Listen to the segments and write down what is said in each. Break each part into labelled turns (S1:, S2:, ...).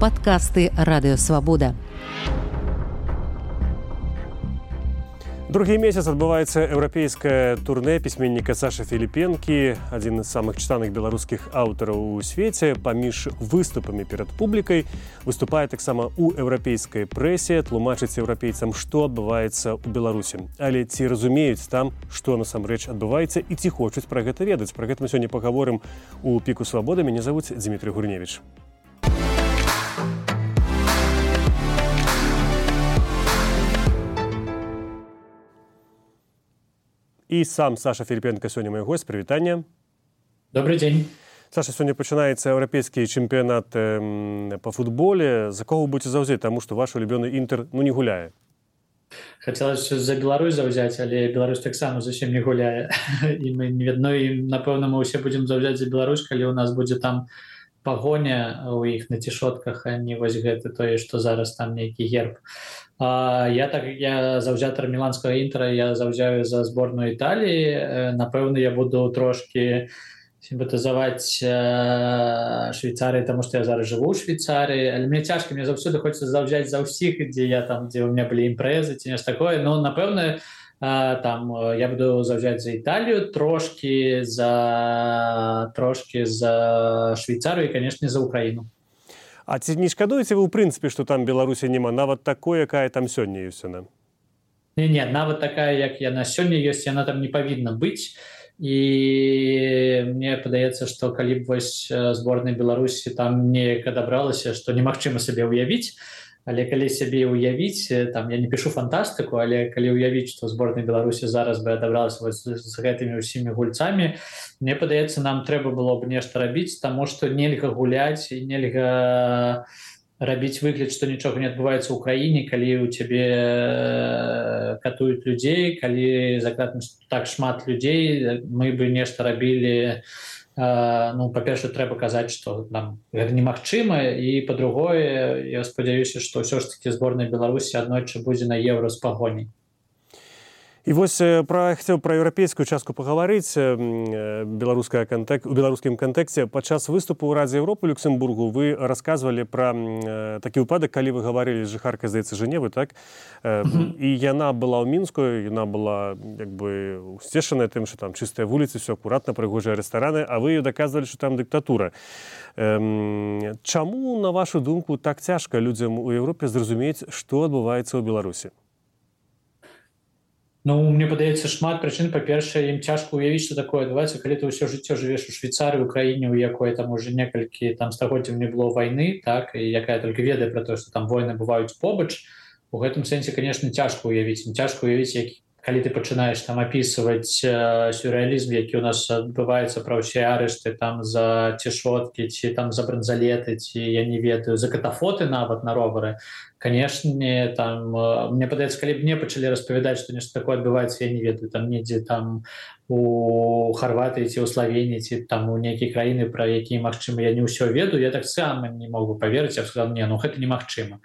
S1: Падкасты Радыёвабода.
S2: Другі месяц адбываецца еўрапейскае турнэ пісьменніка Сашы Філіпенкі, адзін з самых чытаных беларускіх аўтараў у свеце. Паміж выступамі перад публікай выступае таксама ў еўрапейскай прэсе, тлумачыць еўрапейцам, што адбываецца ў Беларусі. Але ці разумеюць там, што насамрэч адбываецца і ці хочуць пра гэта ведаць? Пра гэта мы сёння пагаворым у Піку Свабоды. Мяне завуць Дзмітрый Гурневіч. І сам Саша Філіпенка сёння мой гость. Прывітанне.
S3: Добрый дзень.
S2: Саша, сёння пачынаецца еўрапейскі чэмпіянат па футболе. За кого вы будзеце заўзець? Таму што ваш улюбёны Інтэр не гуляе.
S3: Хацелася за Беларусь заўзяць, але Беларусь таксама зусім не гуляе. І мы не ведно, і напэўна мы ўсе будзем заўзяць за Беларусь, калі ў нас будзе там пагоня у іх на цішотках, а не вось гэта тое, што зараз там нейкі герб. Я заўзятар міланскага Інтера, я заўзяю за зборную Італіі. Напэўна, я буду трошкі сімпатызаваць Швейцарыі, таму што я зараз жыву ў Швейцарыі. Але мне цяжка, мне заўсёды хочацца заўзяць за ўсіх, дзе ў меня былі імпрэзы ці нешта такое. Но, напэўна, там я буду заўзяць за Італію, трошкі за Швейцарыю і, канешне, за Украіну.
S2: А ці не шкадуеце вы, ў прынцыпе, што там Беларусі няма, нават такой, якая там сёння ёсць яна?
S3: Не, нават такая, як яна сёння ёсць, яна там не павінна быць. І мне падаецца, што калі б вось зборная Беларусі там неяк адабралася, што немагчыма сабе ўявіць, але калі сябе ўявіць, там я не пішу фантастыку, але калі ўявіць, што зборная Беларусі зараз бы адабралася з гэтымі ўсімі гульцамі, мне падаецца, нам трэба было б нешта рабіць, таму што нельга гуляць і нельга рабіць выгляд, што нічога не адбываецца ў краіне, калі ў цябе катуюць людзей, калі закладна так шмат людзей, мы бы нешта рабілі. Па-перше, трэба казаць, што нам гэта немагчыма, і па-другое, я спадзяюся, што ўсё ж такі зборная Беларусі аднойчы будзе на еўра з пагоняй.
S2: І вось хацеў пра еўрапейскую частку пагаварыць у беларускім кантэксце. Падчас выступу ў Радзе Еўропы ў Люксембургу вы расказвалі пра такі выпадак, калі вы гаварылі з жыхаркай, здаецца, Жэневы, так? І яна была ў Мінску, яна была як бы усцешаная тым, што там чыстыя вуліцы, все акуратна, прыгожыя рэстараны, а вы даказвалі, што там дыктатура. Чаму, на вашу думку, так цяжка людзям у Еўропе зразумець, што адбываецца ў Беларусі?
S3: Мне падаецца шмат прычын. Па-першае, ім цяжка ўявіць, што такое адбываецца, калі ты ўсё жыццё жывеш у Швейцарыі, у краіне, у якой там уже некалькі стагоддзяў не было вайны, так, і якая толькі ведае пра тое, што там войны бываюць побач. У гэтым сэнсе, канешне, цяжка ўявіць. Цяжка ўявіць, калі ты пачынаеш там апісваць сюррэалізм, які ў нас адбываецца, пра ўсе арышты там за цішоткі, ці там за бранзалеты, ці я не ведаю, за катафоты нават на ровары. Канешне, там мне падаецца, калі б мне пачалі распавядаць, што нешта такое адбываецца, я не ведаю, там недзе там у Харватыі ці ў Славеніі, ці там у нейкай краіны, пра якія магчыма, я не ўсё ведаю, я таксама не мог бы паверыць, я б сказаў, гэта немагчыма.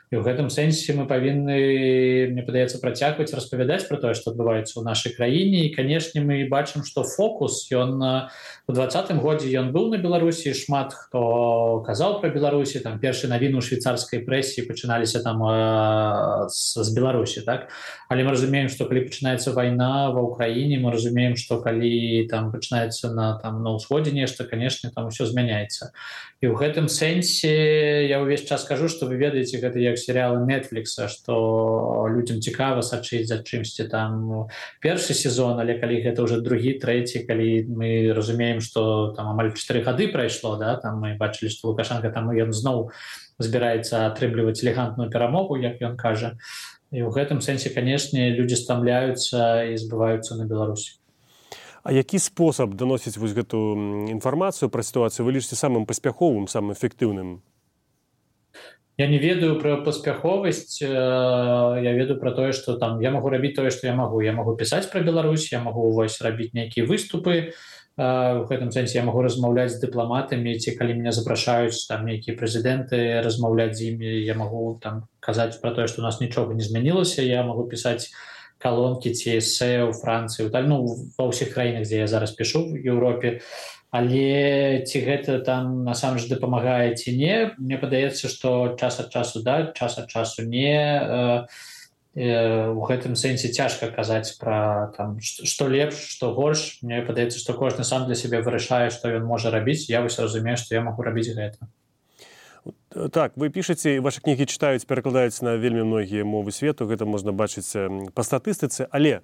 S3: І ў гэтым сэнсе мы павінны, мне падаецца, працягваць распавядаць пра тое, што адбываецца ў нашай краіне. І, канешне, мы бачым, што фокус, ён у 2020 годзе ён быў на Беларусі, шмат хто казаў пра Беларусі, там першыя навіны ў швейцарскай прэсе пачыналіся там з Беларусі, так? Але мы разумеем, што калі пачынаецца вайна ва ўкраіне, мы разумеем, што калі там пачынаецца на ўсходзе нешта, канешне, там усё змяняецца. І ў гэтым сэнсе я ўвесь час кажу, што вы ведаеце, гэта як серыялы Netflix, што людзям цікава сачыць за чымсьці там першы сезон, але калі гэта ўжо другі, трэці, калі мы разумеем, што там амаль 4 гады прайшло, да, там мы бачылі, што Лукашенко там ён зноў збіраецца атрымліваць элегантную перамогу, як ён кажа. І ў гэтым сэнсе, канешне, людзі стамляюцца і збываюцца на Беларусі.
S2: А які спосаб даносіць вось гэту інфармацыю пра сітуацыю вы лічыце самым паспяховым, самым эфектыўным?
S3: Я не ведаю пра паспяховасць, я ведаю пра тое, што там я магу рабіць тое, што я магу. Я магу пісаць пра Беларусь, я магу рабіць нейкія выступы, у гэтым сэнсе я магу размаўляць з дыпламатамі, ці калі мяне запрашаюць там нейкія прэзідэнты, размаўляць з імі, я магу там казаць пра тое, што у нас нічога не змянілася, я магу пісаць калонкі ці эсэ ў Францыі, ва ўсіх краінах, дзе я зараз пішу в Еўропе. Але ці гэта там насамрэч дапамагае ці не, мне падаецца, што час ад часу да, час ад часу не. У гэтым сэнсе цяжка казаць пра там што лепш, што горш. Мне падаецца, што кожны сам для сябе вырашае, што ён можа рабіць. Я вось разумею, што я магу рабіць гэта.
S2: Так, вы пішаце, вашы кнігі чытаюць, перакладаюць на вельмі многія мовы свету, гэта можна бачыць па статыстыцы, але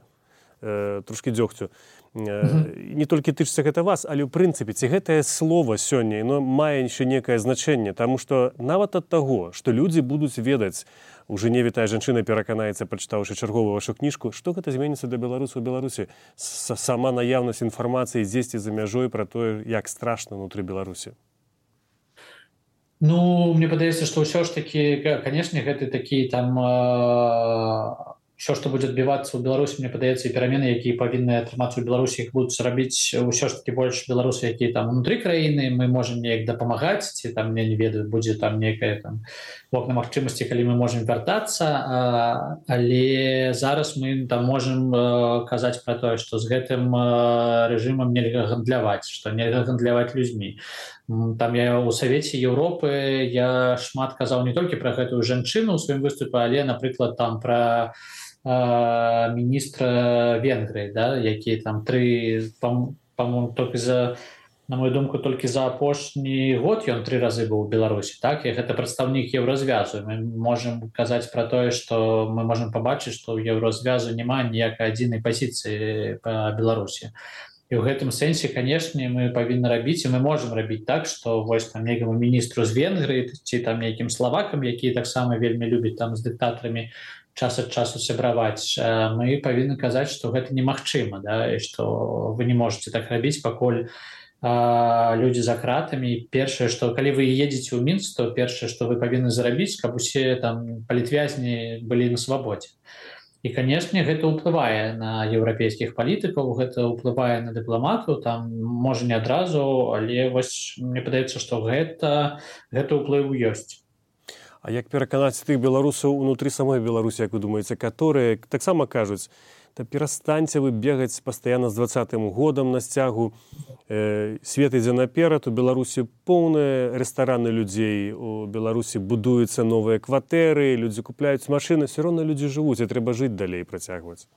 S2: трошкі дзёгцю. Не толькі тычыцца гэта вас, але ў прынцыпе, ці гэтае слова сёння, яно мае яшчэ некае значэнне, таму што нават ад таго, што людзі будуць ведаць, у Жэневе тая жанчына пераканаецца, прачытаўшы чарговую вашу кніжку, што гэта зменіцца для беларусаў у Беларусі? Сама наяўнасць інфармацыі дзесьці за мяжой пра тое, як страшна ўнутры Беларусі.
S3: Ну, мне падаецца, што ўсё ж такі, канешне, гэты такі там ўсё, што будзе адбівацца ў Беларусі, мне падаецца, і перамены, якія павінны атрымацца ў Беларусі, іх будуць рабіць ўсё ж такі больш беларусы, якія там унутры краіны, мы можам неяк дапамагаць, ці там, я не ведаю, будзе там некая там вокна магчымасці, калі мы можам вяртацца, але зараз мы там можам казаць пра тое, што з гэтым рэжымам нельга гандляваць, што нельга гандляваць людзьмі. Там я ў Савеце Еўропы я шмат казаў не толькі пра гэтую жанчыну ў сваім выступе, але, напрыклад, там пра міністра Венгрыі, да, які там па-моему, толькі на мою думку, толькі за апошні год ён 3 разы быў у Беларусі, так, і гэта прадстаўнік Еўразвязу. Мы можам казаць пра тое, што мы можам пабачыць, што ў Еўразвязу няма ніякай адзінай пазіцыі па Беларусі. І ў гэтым сэнсе, канешне, мы павінны рабіць, і мы можам рабіць так, што вось там нейкаму міністру з Венгрыі ці там нейкім славакам, якія таксама вельмі любяць там з дыктатарамі час ад часу сябраваць, мы павінны казаць, што гэта немагчыма, да, і што вы не можете так рабіць, пакуль людзі за кратамі. Першае, што калі вы едзеце ў Мінск, то першае, што вы павінны зрабіць, каб усе там палітвязні былі на свабодзе. І, канешне, гэта ўплывае на еўрапейскіх палітыкаў, гэта ўплывае на дыпламатаў, там, можа, не адразу, але вось мне падаецца, што гэта ўплыў ёсць.
S2: А як пераканаць тых беларусаў унутры самой Беларусі, як вы думаеце, которые таксама кажуць, та перастаньце вы бегаць пастаянна з 20-м годам на сцягу, свет ідзе наперад, у Беларусі поўныя рэстараны людзей, у Беларусі будуюцца новыя кватэры, людзі купляюць машыны, все роўна людзі жывуць, і трэба жыць далей, працягваць.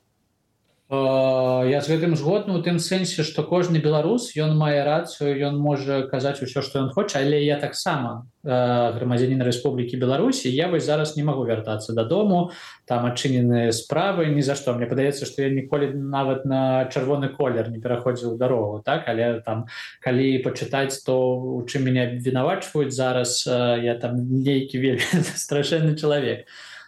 S3: Я з гэтым згодны ў тым сэнсе, што кожны беларус, ён мае рацыю, ён можа казаць усё, што ён хоча, але я таксама грамадзянін Рэспублікі Беларусі, я вось зараз не магу вяртацца дадому, там адчыненыя справы, ні за што. Мне падаецца, што я ніколі нават на чырвоны колер не пераходзіў дарогу, так, але там, калі пачытаць, то у чым мяне абвінавачваюць зараз, я там нейкі вельмі страшэнны чалавек.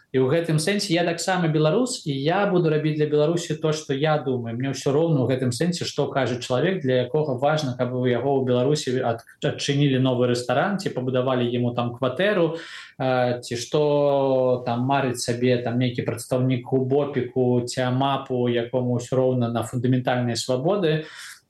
S3: І ў гэтым сэнсе я таксама беларус, і я буду рабіць для Беларусі то, што я думаю. Мне ўсё роўна ў гэтым сэнсе, што кажа чалавек, для якога важна, каб у яго ў Беларусі адчынілі новы рэстаран, ці пабудавалі яму там кватэру, ці што там марыць сабе там нейкі прадстаўнік УБОПіку ці АМАПу, якому ўсё роўна на фундаментальныя свабоды.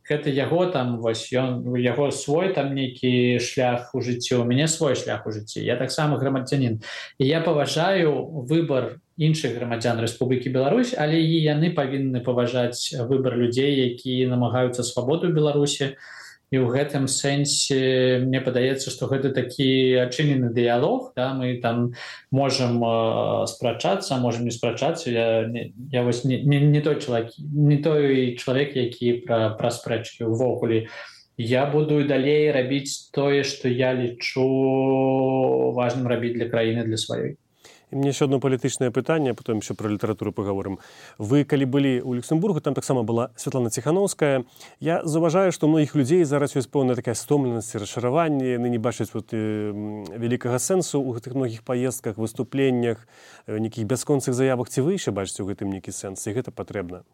S3: Гэта яго там, вось ён, яго свой там нейкі шлях у жыцці, у мяне свой шлях у жыцці. Я таксама грамадзянін. І я паважаю выбар іншых грамадзян Рэспублікі Беларусь, але і яны павінны паважаць выбар людзей, якія намагаюцца свабоду ў Беларусі. І ў гэтым сэнсе мне падаецца, што гэта такі адчынены дыялог, да, мы там можам спрачацца, можам не спрачацца. Я вось не той чалавек, які пра спрэчкі ўвогуле. Я буду далей рабіць тое, што я лічу важным рабіць для краіны, для сваёй.
S2: І мне еще одно палітычнае пытанне, потом еще про літаратуру паговорым. Вы, калі былі ў Люксембургу, там таксама была Святлана Ціхановская. Я заўважаю, што у многіх людзей зараз ёсць пэўная такая стомленасць, расчараванне, яны не бачаць вялікага сэнсу ў гэтых многіх паездках, выступленнях, нейкіх бясконцых заявах. Ці вы яшчэ бачыце ў гэтым нейкі сэнс, і гэта патрэбна?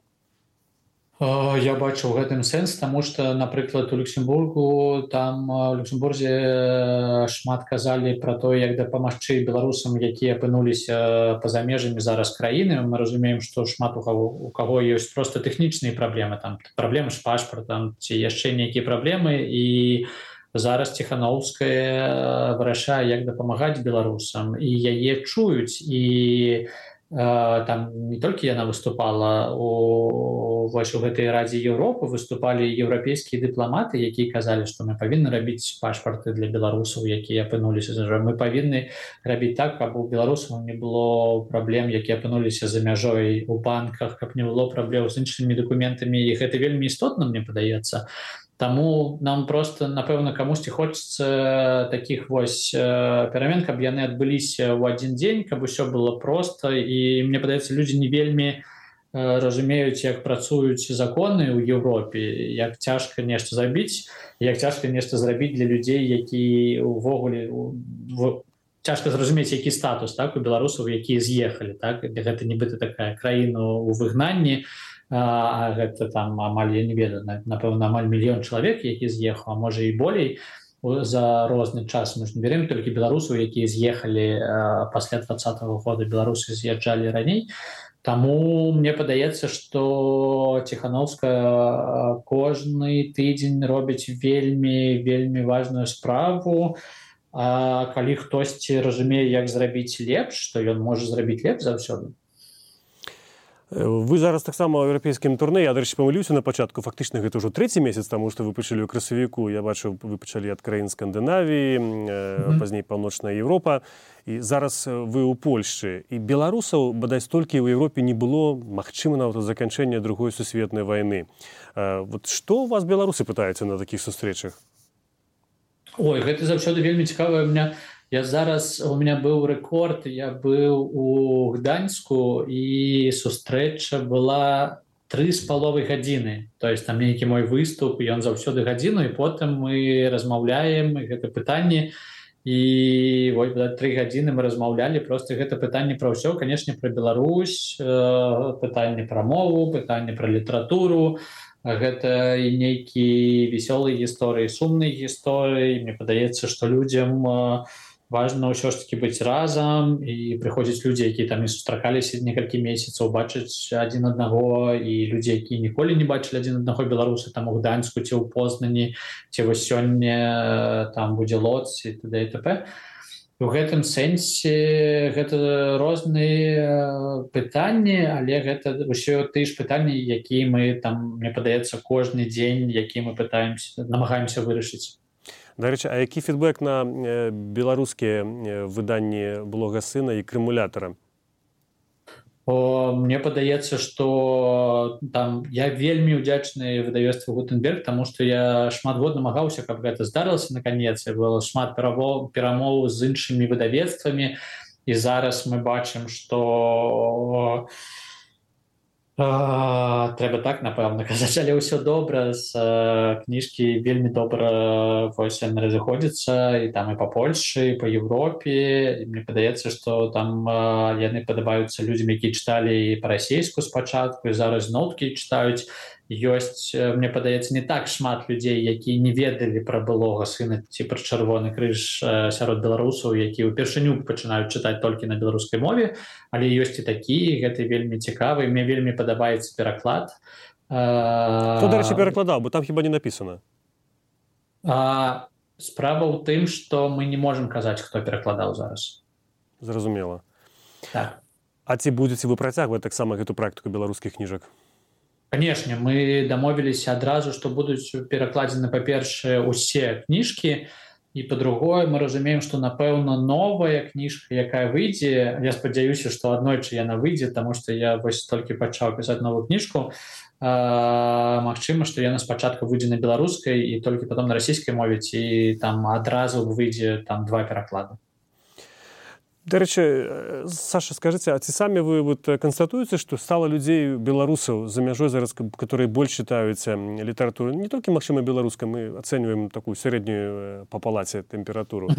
S3: Я бачу ў гэтым сэнс, таму што, напрыклад, у Люксембургу, там у Люксембурзе шмат казалі пра тое, як дапамагчы беларусам, якія апынуліся па-за межамі зараз краіны. Мы разумеем, што шмат у каго ёсць проста тэхнічныя праблемы, там праблемы з пашпартам ці яшчэ нейкія праблемы, і зараз Ціхановская вырашае, як дапамагаць беларусам, і яе чуюць, і там не толькі яна выступала у гэтай радзе Еўропы, выступалі еўрапейскія дыпламаты, якія казалі, што мы павінны рабіць пашпарты для беларусаў, якія апынуліся за мяжой. Мы павінны рабіць так, каб у беларусаў не было праблем, якія апынуліся за мяжой у банках, каб не было праблем з іншымі дакументамі, і гэта вельмі істотна, мне падаецца. Таму нам просто, напэўна, камусьці хочацца такіх вось перамен, каб яны адбыліся ў адзін дзень, каб усё было проста, і мне падаецца, людзі не вельмі разумеюць, як працуюць законы ў Еўропе, як цяжка нешта зрабіць, як цяжка нешта зрабіць для людзей, які увогуле цяжка зразумець, які статус, так, у беларусаў, якія з'ехалі, так, гэта нібыта такая краіна ў выгнанні, а гэта там амаль, я не ведаю, напэўна, амаль 1 мільён чалавек, які з'ехаў, а можа і болей за розны час. Мы ж не берем толькі беларусаў, якія з'ехалі пасля 2020 года, беларусы з'язджалі раней. Таму мне падаецца, што Ціхановская кожны тыдзень робіць вельмі важную справу. А калі хтосьці разумее, як зрабіць лепш, то ён можа зрабіць лепш заўсёды.
S2: Вы зараз таксама ў еўрапейскім турне. Я, дарэчы, памыліўся на пачатку. Фактычна гэта ўжо 3-й месяц, таму што вы пачалі ў красавіку. Я бачу, вы пачалі ад краін Скандынавіі, пазней Паўночная Еўропа. І зараз вы ў Польшчы. І беларусаў, бадай, столькі ў Еўропе не было, магчыма, нават ад заканчэння Другой сусветнай вайны. Вот што у вас беларусы пытаюцца на такіх сустрэчах?
S3: Ой, гэта заўсёды вельмі цікава. У меня быў рэкорд, я быў у Гданьску, і сустрэча была 3,5 гадзіны. То есть там нейкі мой выступ, ён заўсёды гадзіну, і потым мы размаўляем, і гэта пытанне, і вось 3 гадзіны мы размаўлялі, просто гэта пытанне пра ўсё, канешне, пра Беларусь, пытанне пра мову, пытанне пра літаратуру, гэта і нейкія весёлыя гісторыі, сумныя гісторыі. Мне падаецца, што людзям важна ўсё ж таки быць разам, і прыходзяць людзі, якія там не сустракаліся некалькі месяцаў, бачаць адзін аднаго, і людзі, якія ніколі не бачылі адзін аднаго, беларусы там у Гданьску ці ў Познані, ці вось сёння там будзе Лодз і т.д. і т.п. У гэтым сэнсе гэта розныя пытанні, але гэта ўсё тыя ж пытанні, якія мы там, мне падаецца, кожны дзень, які мы намагаемся вырашыць.
S2: Дарэчы, а які фідбэк на беларускія выданні блога Сына і Крымулятара?
S3: Мне падаецца, што там я вельмі ўдзячны выдавецтву Гутенберг, таму што я шмат год намагаўся, каб гэта здарылася наконец. Было шмат перамоў з іншымі выдавецтвамі, і зараз мы бачым, што трэба так, напэўна, казаць, але ўсё добра, з кніжкі вельмі добра вось яны разыходзяцца, і там і па Польшчы, і па Еўропе. І мне падаецца, што там яны падабаюцца людзям, якія чыталі і па-расейску спачатку, і зараз зноўкі чытаюць. Ёсць, мне падаецца, не так шмат людзей, якія не ведалі пра былога Сына ці пра Чырвоны крыж сярод беларусаў, якія ўпершыню пачынаюць чытаць толькі на беларускай мове, але ёсць і такія, гэта вельмі цікава, і мне вельмі падабаецца пераклад.
S2: Хто, дарэчы, перакладаў, бо там хіба не напісана?
S3: Справа ў тым, што мы не можам казаць, хто перакладаў зараз.
S2: Зразумела.
S3: Так.
S2: А ці будзеце вы працягваць таксама гэту практыку беларускіх кніжак?
S3: Канешне, мы дамовіліся адразу, што будуць перакладзены, па-першае, усе кніжкі, і па-другое, мы разумеем, што, напэўна, новая кніжка, якая выйдзе, я спадзяюся, што аднойчы яна выйдзе, таму што я вось толькі пачаў пісаць новую кніжку, магчыма, што яна спачатку выйдзе на беларускай і толькі потом на расійскай мове, ці там адразу выйдзе там 2 пераклады.
S2: Дарэчы, Саша, скажыце, а ці самі вы канстатуеце, што стала людзей беларусаў за мяжой зараз, которые больш чытаюць літаратуру, не толькі, магчыма, беларускай, мы ацэньваем такую сярэднюю па палаце тэмпературу?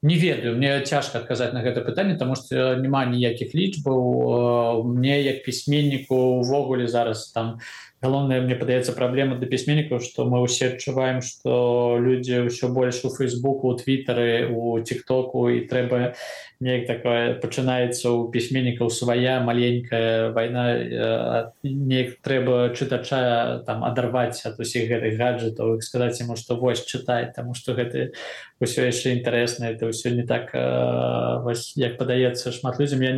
S3: Не ведаю, мне цяжка адказаць на гэта пытанне, таму што няма ніякіх лічбаў. Мне, як пісьменніку, увогуле зараз там галоўная, мне падаецца, праблема для пісьменнікаў, што мы ўсе адчуваем, што людзі ўсё больш у Фейсбуку, у Твітары, у Тіктоку, і трэба неяк такое пачынаецца ў пісьменнікаў свая маленькая вайна, неяк трэба чытача там адарваць ад усіх гэтых гаджетаў і сказаць яму, што вось чытай, таму што гэта ўсё яшчэ інтарэсна, это ўсё не так, вось, як падаецца шмат людзям. Я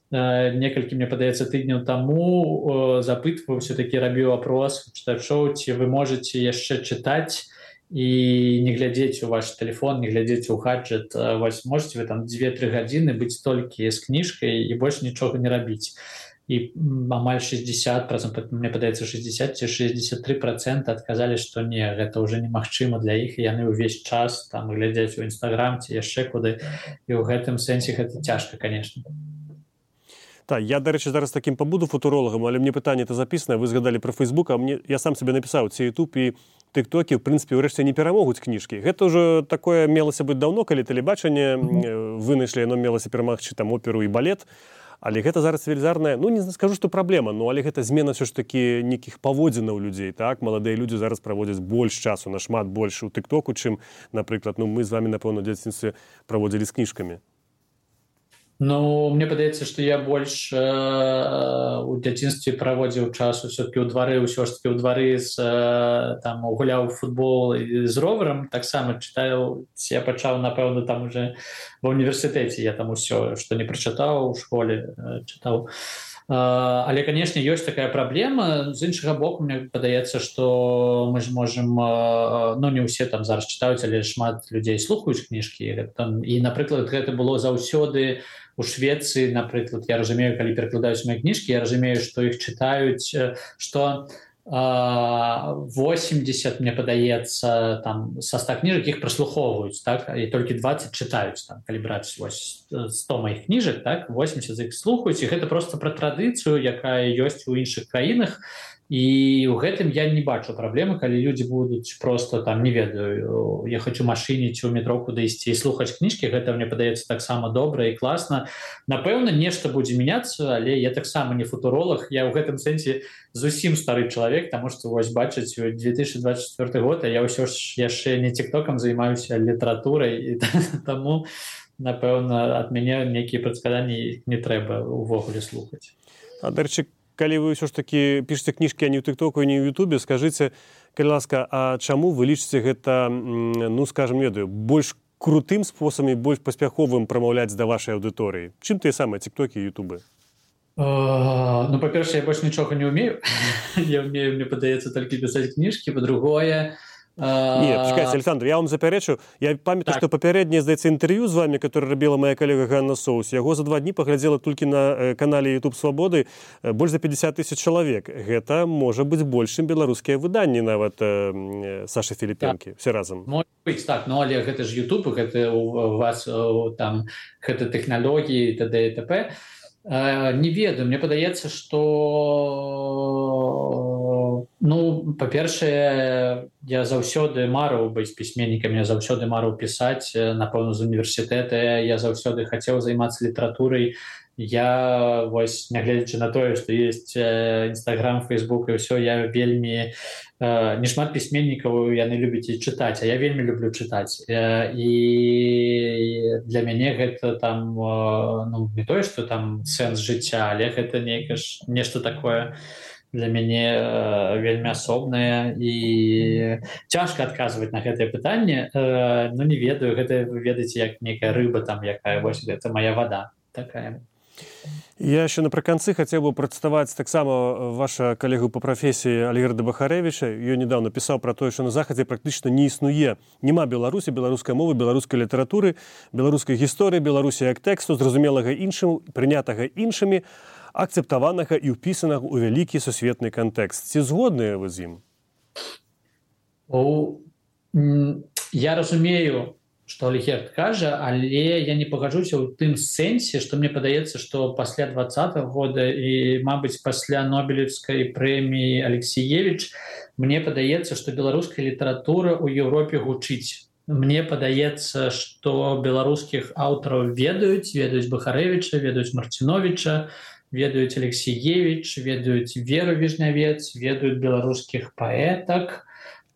S3: некалькі, мне падаецца, тыдняў таму запытваўся, такі рабіў апрос чытачоў, ці вы можаце яшчэ чытаць і не глядзець у ваш телефон, не глядзець у гаджет. Вось можете вы там 2-3 гадзіны быць толькі з кніжкай і больш нічога не рабіць. І амаль 60%, мне падаецца 60 ці 63% адказалі, што не, гэта ўжо немагчыма для іх, і яны ўвесь час там глядзяць у Інстаграм ці яшчэ куды, і ў гэтым сэнсе гэта цяжка, конечно.
S2: Так, я, до речі, зараз таким побуду футуролагам, але мне пытанне это записано, вы згадалі про Фейсбук, а я сам себе написаў, ці YouTube і TikTok, в принципе, ўрэшце не перамогуць кніжкі. Гэта ўжо такое мелася быць даўно, калі тэлебачанне вынайшлі, яно мелася перамагчы там оперу і балет, але гэта зараз велізарная, ну не скажу, што праблема, но але гэта змена ўсё ж такі нейкіх паводзінаў людзей, так? Маладыя людзі зараз праводзяць больш часу, нашмат больш у TikToku, чым, напрыклад, мы з вами, напэўна, ў дзяцінстве праводзілі з кніжкамі.
S3: Ну, мне падаецца, што я больш у дзяцінстве праводзіў час усё-такі ў двары, ўсё ж такі ў двары там гуляў у футбол з роварам, таксама чытаў, я пачаў, напэўна, там уже ва ўніверсітэце, я там усё, што не прачытаў у школе, чытаў. Але, конечно, ёсць такая праблема. З іншага боку, мне падаецца, што мы ж можам, ну, не ўсе там зараз чытаюць, але шмат людзей слухаюць кніжкі. І, напрыклад, гэта было заўсёды у Швецыі, напрыклад, я разумею, калі перакладаюць мае кніжкі, я разумею, што іх чытаюць, што 80, мне падаецца, там, са 100 кніжак іх праслухоўваюць, так? І толькі 20 чытаюць, там, калі браць 100 маіх кніжак, так? 80 з іх слухаюць, і гэта проста пра традыцыю, якая ёсць у іншых краінах. І ў гэтым я не бачу праблемы, калі людзі будуць просто там, не ведаю, ехаць у машыне ці ў метро куды ісці і слухаць кніжкі, гэта мне падаецца таксама добра і класна. Напэўна, нешта будзе мяняцца, але я таксама не футуролог, я ў гэтым сэнсе зусім стары чалавек, таму што вось бачыць 2024 год, а я ўсё ж яшчэ не тиктокам займаюся, літаратурай, і таму, напэўна, ад мяне нейкія прадказанні не трэба увогуле слухаць.
S2: А, дарэчы, калі вы ўсё ж такі пішаце кніжкі, а не ў тиктоку, а не ў ютубе, скажыце, калі ласка, а чаму вы лічыце гэта, ну, скажам, ведаю, больш крутым спосабам і больш паспяховым прамаўляць да вашай аўдыторыі? Чым тыя самыя тиктокі і ютубы?
S3: Ну, па-першае, я больш нічога не ўмею. Я ўмею, мне падаецца, толькі пісаць кніжкі, па-другое...
S2: Нет, чекайте, Александр, я вам заперечу. Я памятаю, что попереднее, здаецца, интервью з вами, которое робила моя коллега Ганна Соус, яго за 2 дні поглядзела толькі на канале YouTube Свободы больш за 50 000 чалавек. Гэта можа быць больш, чым беларускія выданні нават Саши Філіпенкі, все разам.
S3: Может быть, так, но але гэта ж YouTube, гэта у вас там гэта тэхналогіі і т.д. і т.п. Не ведаю, мне падаецца, што ну, па-першае, я заўсёды марыў быць пісьменнікам, я заўсёды марыў пісаць, напэўна, з універсітэта, я заўсёды хацеў займацца літаратурай. Я, вось, нягледзячы на тое, што ёсць Інстаграм, Фейсбук і ўсё, я вельмі... Не шмат пісьменнікаў яны любяць і чытаць, а я вельмі люблю чытаць. І для мяне гэта там, ну, не тое, што там сэнс жыцця, але гэта нешта такое для мяне вельмі асобнае. І цяжка адказваць на гэтае пытанне. Ну, не ведаю, гэта вы ведаеце, як нейкая рыба там, якая, вось, гэта моя вада такая.
S2: Я еще напрыканцы хотел бы прадставаць таксама ваша калегу по профессии Альгерда Бахаревича. Ён недавно писал про то, что на Захадзе практычна не існуе. Нема Беларусі, беларускай мовы, беларускай літаратуры, беларускай гісторыі, Беларусі як тэксту, зразумелага іншым, прынятага іншымі, акцэптаванага і ўпісанага ў вялікі сусветны кантэкст. Ці згодныя вы з ім?
S3: Я разумею, што Альгерд кажа, але я не пагаджуся ў тым сэнсе, што мне падаецца, што пасля 20-го года і, мабыць, пасля Нобелевскай прэміі Алексіевіч, мне падаецца, што беларуская літаратура ў Еўропе гучыць. Мне падаецца, што беларускіх аўтараў ведаюць Бахарэвіча, ведаюць Марціновіча, ведаюць Алексеевич, ведаюць Веру Віжнявец, ведаюць беларускіх паэтак.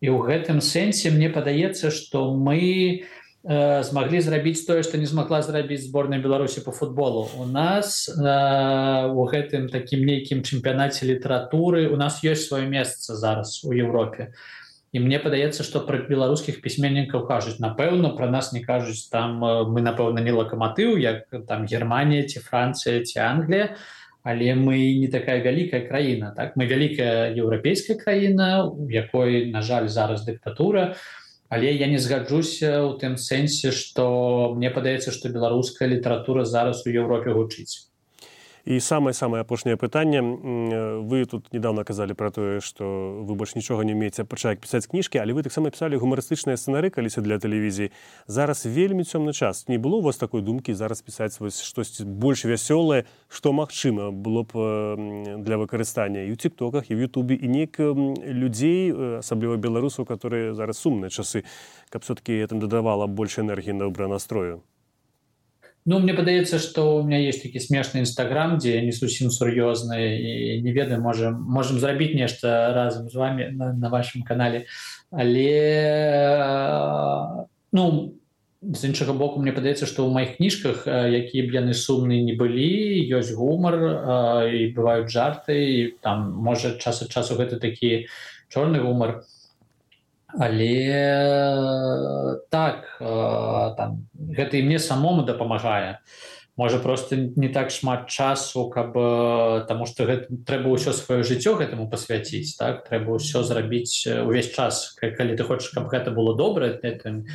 S3: І ў гэтым сэнсе мне падаецца, што мы змаглі зрабіць тое, што не змагла зрабіць зборная Беларусі по футболу. У нас у гэтым такім нейкім чэмпіянаце літаратуры у нас ёсць сваё месца зараз у Еўропе. І мне падаецца, што пра беларускіх пісьменнікаў кажуць, напэўна, пра нас не кажуць, там мы, напэўна, не лакаматыў, як там Германія ці Францыя ці Англія, але мы не такая вялікая краіна, так? Мы вялікая еўрапейская краіна, у якой, на жаль, зараз дыктатура. Але я не згаджуся ў тым сэнсе, што мне падаецца, што беларуская літаратура зараз у Еўропе гучыць.
S2: І самае апошняе пытанне. Вы тут недавно казалі пра тое, што вы больш нічога не умееце пачаць пісаць кніжкі, але вы таксама пісалі гумарыстычныя сцэнары каліся для тэлевізіі. Зараз вельмі цёмны час. Не было у вас такой думкі зараз пісаць штосьці больш вясёлае, што магчыма было б для выкарыстання і ў тиктоках, і ў ютубе, і неяк людзей, асабліва беларусаў, которые зараз сумныя часы, каб все-таки это дадавала больш энергіі на добрый настрою?
S3: Ну, мне падаецца, што у меня есть такі смешны Instagram, дзе я не зусім сур'ёзны і не ведаю, можем зрабіць нешта разам з вами на вашым канале. Але ну, з іншага боку, мне падаецца, што ў маіх кніжках, якія б яны сумныя не былі, ёсць гумар і бываюць жарты, і там можа час ад часу гэта такі чорны гумар. Але так, там, гэта і мне самому дапамагае. Можа, просто не так шмат часу, каб, таму што трэба ўсё сваё жыццё гэтаму пасвяціць, так? Трэба ўсё зрабіць увесь час. Калі ты хочаш, каб гэта было добра, ты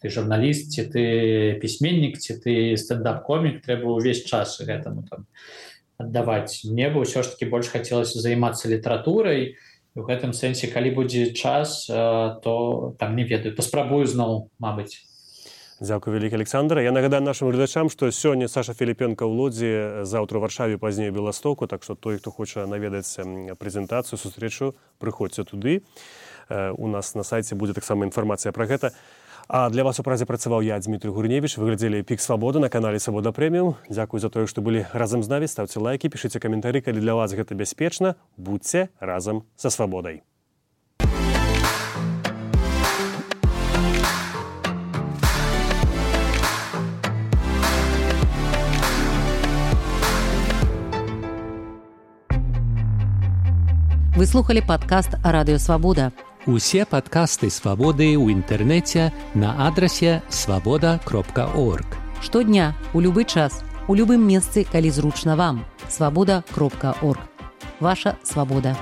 S3: журналіст, ці ты пісьменнік, ці ты стендап-комік, трэба ўвесь час гэтаму там аддаваць. Мне бы ўсё ж такі больш хацелася займацца літаратурай. У гэтым сэнсе, калі будзе час, то там не ведаю, паспрабую зноў, мабыць.
S2: Дзякуй вялікі, Александр. Я нагадаю нашым гледачам, што сёння Саша Філіпенка ў Лодзі, заўтра ў Варшаве, пазней у Беластоку, так што той, хто хоча наведаць прэзентацыю, сустрэчу, прыходзьце туды. У нас на сайце будзе таксама інфармацыя пра гэта. А для вас у празе працаваў я, Дмітрий Гурневіч. Вы глядзелі «Пік Свабоды» на канале «Свабода Прэміум». Дзякуй за тое, што былі разам з намі. Ставце лайкі, пішыце каментары, калі для вас гэта бяспечна. Будзьце разам са свабодай.
S1: Вы слухали падкаст «Радыё Свабода».
S4: Усе падкасты «Свабоды» ў інтэрнэце на адрасе свабода.орг.
S1: Штодня, у любы час, у любым месцы, калі зручна вам. Свабода.орг. Ваша свабода.